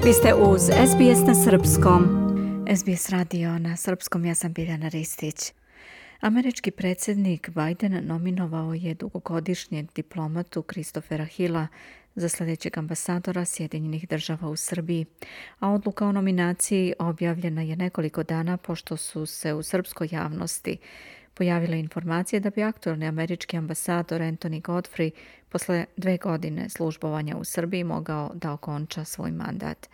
Vi ste uz SBS na srpskom. SBS radio na srpskom, ja sam Biljana Ristić. Američki predsjednik Biden nominovao je dugogodišnjeg diplomatu Christophera Hilla za sljedećeg ambasadora Sjedinjenih država u Srbiji, a odluka o nominaciji objavljena je nekoliko dana pošto su se u srpskoj javnosti pojavile informacije da bi aktualni američki ambasador Anthony Godfrey posle 2 godine službovanja u Srbiji mogao da okonča svoj mandat.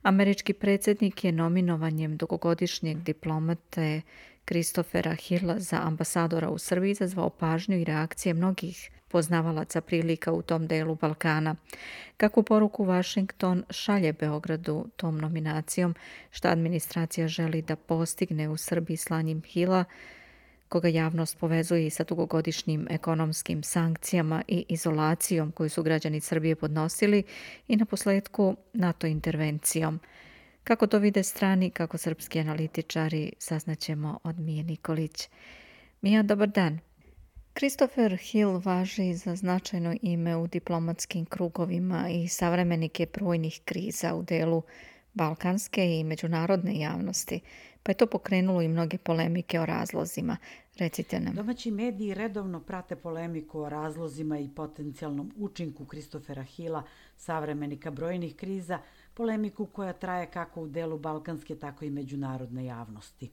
Američki predsjednik je nominovanjem dugogodišnjeg diplomate Christophera Hilla za ambasadora u Srbiji izazvao pažnju i reakcije mnogih poznavalaca prilika u tom delu Balkana. Kakvu poruku Washington šalje Beogradu tom nominacijom, šta administracija želi da postigne u Srbiji slanjem Hilla, koga javnost povezuje i sa dugogodišnjim ekonomskim sankcijama i izolacijom koju su građani Srbije podnosili i na posljedku NATO intervencijom. Kako to vide strani, kako srpski analitičari, saznaćemo od Mije Nikolić. Mija, dobar dan. Christopher Hill važi za značajno ime u diplomatskim krugovima i savremenik je brojnih kriza u delu balkanske i međunarodne javnosti, pa je to pokrenulo i mnoge polemike o razlozima. Recite nam. Domaći mediji redovno prate polemiku o razlozima i potencijalnom učinku Christophera Hilla, savremenika brojnih kriza, polemiku koja traje kako u delu balkanske, tako i međunarodne javnosti.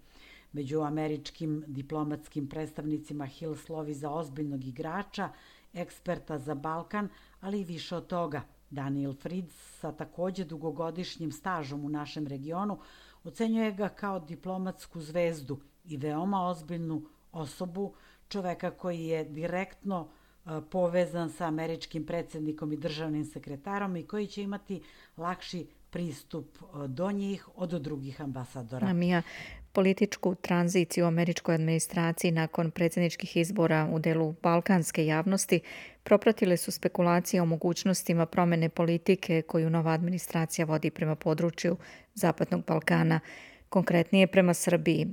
Među američkim diplomatskim predstavnicima Hill slovi za ozbiljnog igrača, eksperta za Balkan, ali i više od toga. Daniel Fried sa također dugogodišnjim stažom u našem regionu ocenjuje ga kao diplomatsku zvezdu i veoma ozbiljnu osobu, čoveka koji je direktno povezan sa američkim predsjednikom i državnim sekretarom i koji će imati lakši pristup do njih od drugih ambasadora. Mija, političku tranziciju u američkoj administraciji nakon predsjedničkih izbora u delu balkanske javnosti propratile su spekulacije o mogućnostima promjene politike koju nova administracija vodi prema području Zapadnog Balkana, konkretnije prema Srbiji.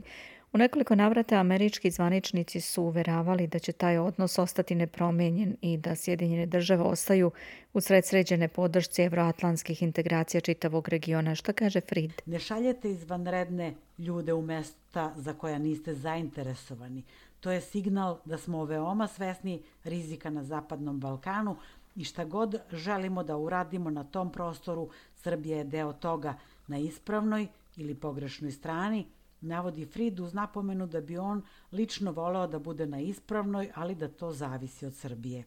U nekoliko navrata američki zvaničnici su uveravali da će taj odnos ostati nepromijenjen i da Sjedinjene države ostaju usred sređene podršci evroatlantskih integracija čitavog regiona. Šta kaže Fried? Ne šaljete izvanredne ljude u mesta za koja niste zainteresovani. To je signal da smo veoma svesni rizika na Zapadnom Balkanu i šta god želimo da uradimo na tom prostoru, Srbija je deo toga na ispravnoj ili pogrešnoj strani, navodi Fried uz napomenu da bi on lično voleo da bude na ispravnoj, ali da to zavisi od Srbije.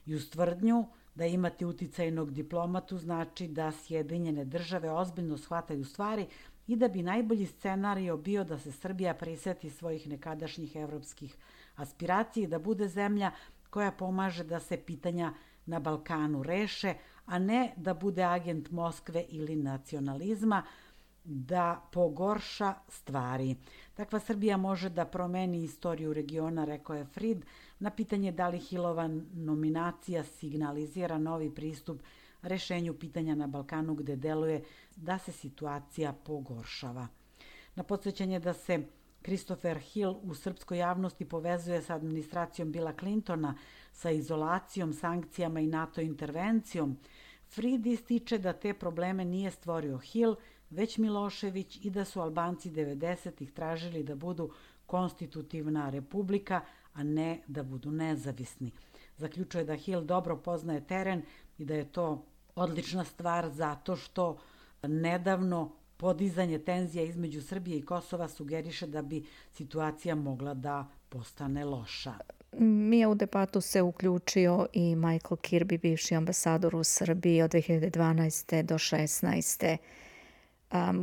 I uz tvrdnju da imati uticajnog diplomatu znači da Sjedinjene države ozbiljno shvataju stvari i da bi najbolji scenario bio da se Srbija priseti svojih nekadašnjih evropskih aspiracija i da bude zemlja koja pomaže da se pitanja na Balkanu reše, a ne da bude agent Moskve ili nacionalizma, da pogorša stvari. Takva Srbija može da promeni istoriju regiona, rekao je Fried, na pitanje da li Hillova nominacija signalizira novi pristup rešenju pitanja na Balkanu gde deluje da se situacija pogoršava. Na podsjećanje da se Christopher Hill u srpskoj javnosti povezuje sa administracijom Billa Clintona, sa izolacijom, sankcijama i NATO intervencijom, Fried ističe da te probleme nije stvorio Hill, već Milošević i da su Albanci 90-ih tražili da budu konstitutivna republika, a ne da budu nezavisni. Zaključuje da Hill dobro poznaje teren i da je to odlična stvar zato što nedavno podizanje tenzija između Srbije i Kosova sugeriše da bi situacija mogla da postane loša. Mija, u debatu se uključio i Michael Kirby, bivši ambasador u Srbiji od 2012. do 2016.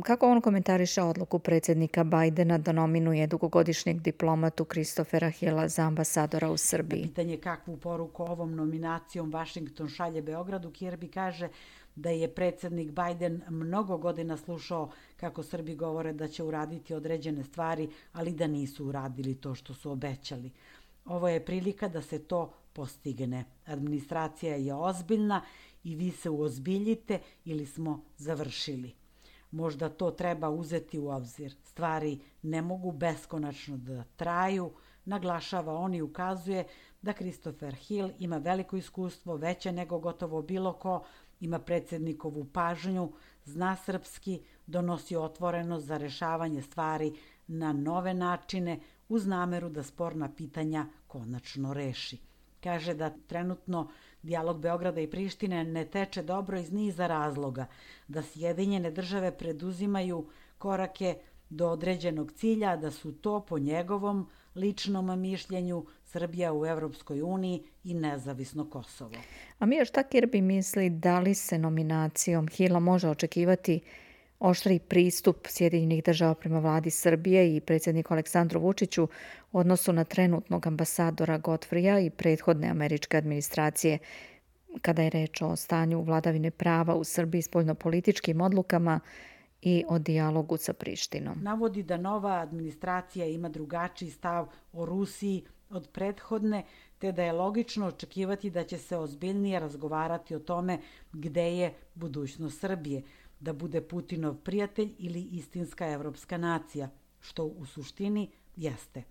Kako on komentariše odluku predsjednika Bidena da nominuje dugogodišnjeg diplomatu Christophera Hilla za ambasadora u Srbiji? Na pitanje kakvu poruku ovom nominacijom Washington šalje Beogradu, Kirby kaže da je predsjednik Biden mnogo godina slušao kako Srbi govore da će uraditi određene stvari, ali da nisu uradili to što su obećali. Ovo je prilika da se to postigne. Administracija je ozbiljna i vi se uozbiljite ili smo završili. Možda to treba uzeti u obzir. Stvari ne mogu beskonačno da traju, naglašava on i ukazuje da Christopher Hill ima veliko iskustvo, veće nego gotovo bilo ko ima predsjednikovu pažnju, zna srpski, donosi otvorenost za rešavanje stvari na nove načine uz nameru da sporna pitanja konačno reši. Kaže da trenutno dijalog Beograda i Prištine ne teče dobro iz niza razloga, da Sjedinjene države preduzimaju korake do određenog cilja, da su to po njegovom ličnom mišljenju Srbija u Evropskoj uniji i nezavisno Kosovo. A Mija, šta Kirby misli da li se nominacijom Hila može očekivati oštriji pristup Sjedinjenih država prema vladi Srbije i predsjedniku Aleksandru Vučiću u odnosu na trenutnog ambasadora Godfreya i prethodne američke administracije kada je reč o stanju vladavine prava u Srbiji, spoljnopolitičkim odlukama i o dijalogu sa Prištinom? Navodi da nova administracija ima drugačiji stav o Rusiji od prethodne, te da je logično očekivati da će se ozbiljnije razgovarati o tome gde je budućnost Srbije, da bude Putinov prijatelj ili istinska evropska nacija, što u suštini jeste.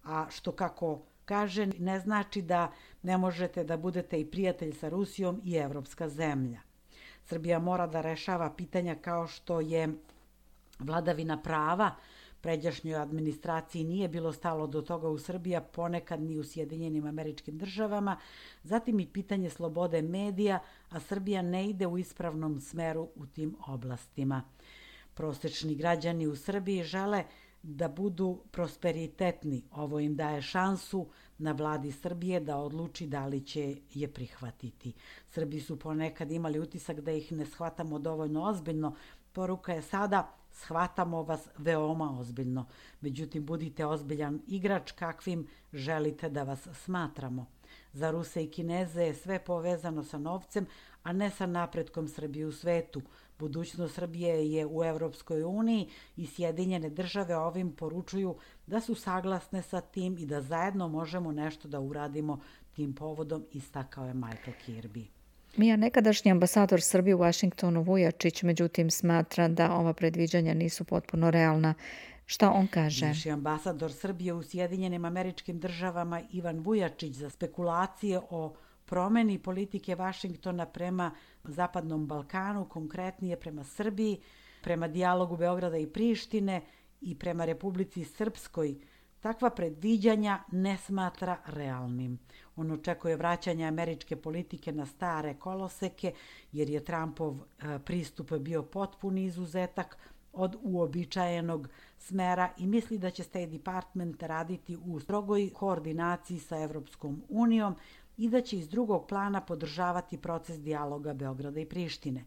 A što, kako kaže, ne znači da ne možete da budete i prijatelj sa Rusijom i evropska zemlja. Srbija mora da rešava pitanja kao što je vladavina prava. Pređašnjoj administraciji nije bilo stalo do toga u Srbiji, a ponekad ni u Sjedinjenim Američkim Državama. Zatim i pitanje slobode medija, a Srbija ne ide u ispravnom smeru u tim oblastima. Prosečni građani u Srbiji žele da budu prosperitetni. Ovo im daje šansu na vladi Srbije da odluči da li će je prihvatiti. Srbi su ponekad imali utisak da ih ne shvatamo dovoljno ozbiljno. Poruka je sada: shvatamo vas veoma ozbiljno. Međutim, budite ozbiljan igrač kakvim želite da vas smatramo. Za Ruse i Kineze je sve povezano sa novcem, a ne sa napretkom Srbije u svetu. Budućnost Srbije je u Evropskoj uniji i Sjedinjene države ovim poručuju da su saglasne sa tim i da zajedno možemo nešto da uradimo tim povodom, istakao je Michael Kirby. Mija, nekadašnji ambasador Srbije u Vašingtonu Vujačić, međutim, smatra da ova predviđanja nisu potpuno realna. Šta on kaže? Bivši ambasador Srbije u Sjedinjenim Američkim Državama Ivan Vujačić za spekulacije o promeni politike Vašingtona prema Zapadnom Balkanu, konkretnije prema Srbiji, prema dijalogu Beograda i Prištine i prema Republici Srpskoj, takva predviđanja ne smatra realnim. On očekuje vraćanje američke politike na stare koloseke, jer je Trumpov pristup bio potpuni izuzetak od uobičajenog smera i misli da će State Department raditi u strogoj koordinaciji sa Evropskom unijom i da će iz drugog plana podržavati proces dijaloga Beograda i Prištine,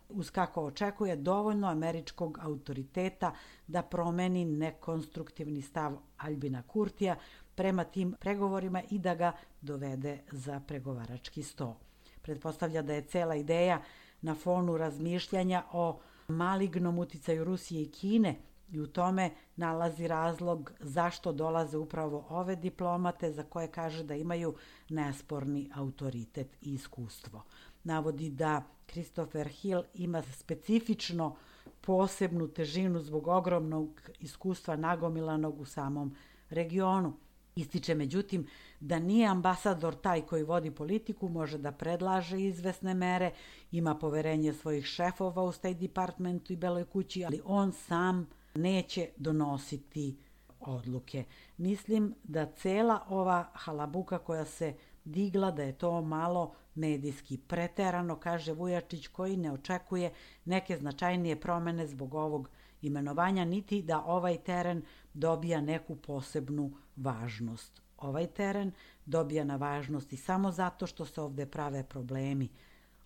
uz kako očekuje dovoljno američkog autoriteta da promeni nekonstruktivni stav Aljbina Kurtija prema tim pregovorima i da ga dovede za pregovarački sto. Pretpostavlja da je cela ideja na fonu razmišljanja o malignom uticaju Rusije i Kine i u tome nalazi razlog zašto dolaze upravo ove diplomate za koje kaže da imaju nesporni autoritet i iskustvo. Navodi da Christopher Hill ima specifično posebnu težinu zbog ogromnog iskustva nagomilanog u samom regionu. Ističe međutim da nije ambasador taj koji vodi politiku, može da predlaže izvesne mere, ima poverenje svojih šefova u State Departmentu i Beloj kući, ali on sam neće donositi odluke. Mislim da cela ova halabuka koja se digla, da je to malo medijski preterano, kaže Vujačić, koji ne očekuje neke značajnije promene zbog ovog imenovanja, niti da ovaj teren dobija neku posebnu važnost. Ovaj teren dobija na važnosti samo zato što se ovde prave problemi.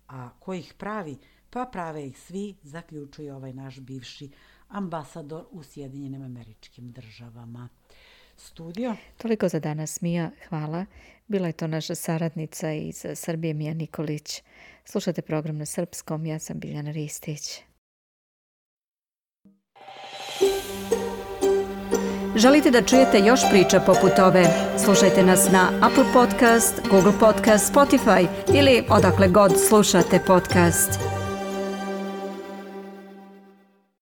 A ko ih pravi? Pa prave ih svi, zaključuje ovaj naš bivši ambasador u Sjedinjenim Američkim Državama. Studio. Toliko za danas, Mija. Hvala. Bila je to naša saradnica iz Srbije, Mija Nikolić. Slušate program na srpskom. Ja sam Biljana Ristić. Želite da čujete još priča poput ove? Slušajte nas na Apple Podcast, Google Podcast, Spotify ili odakle god slušate podcast.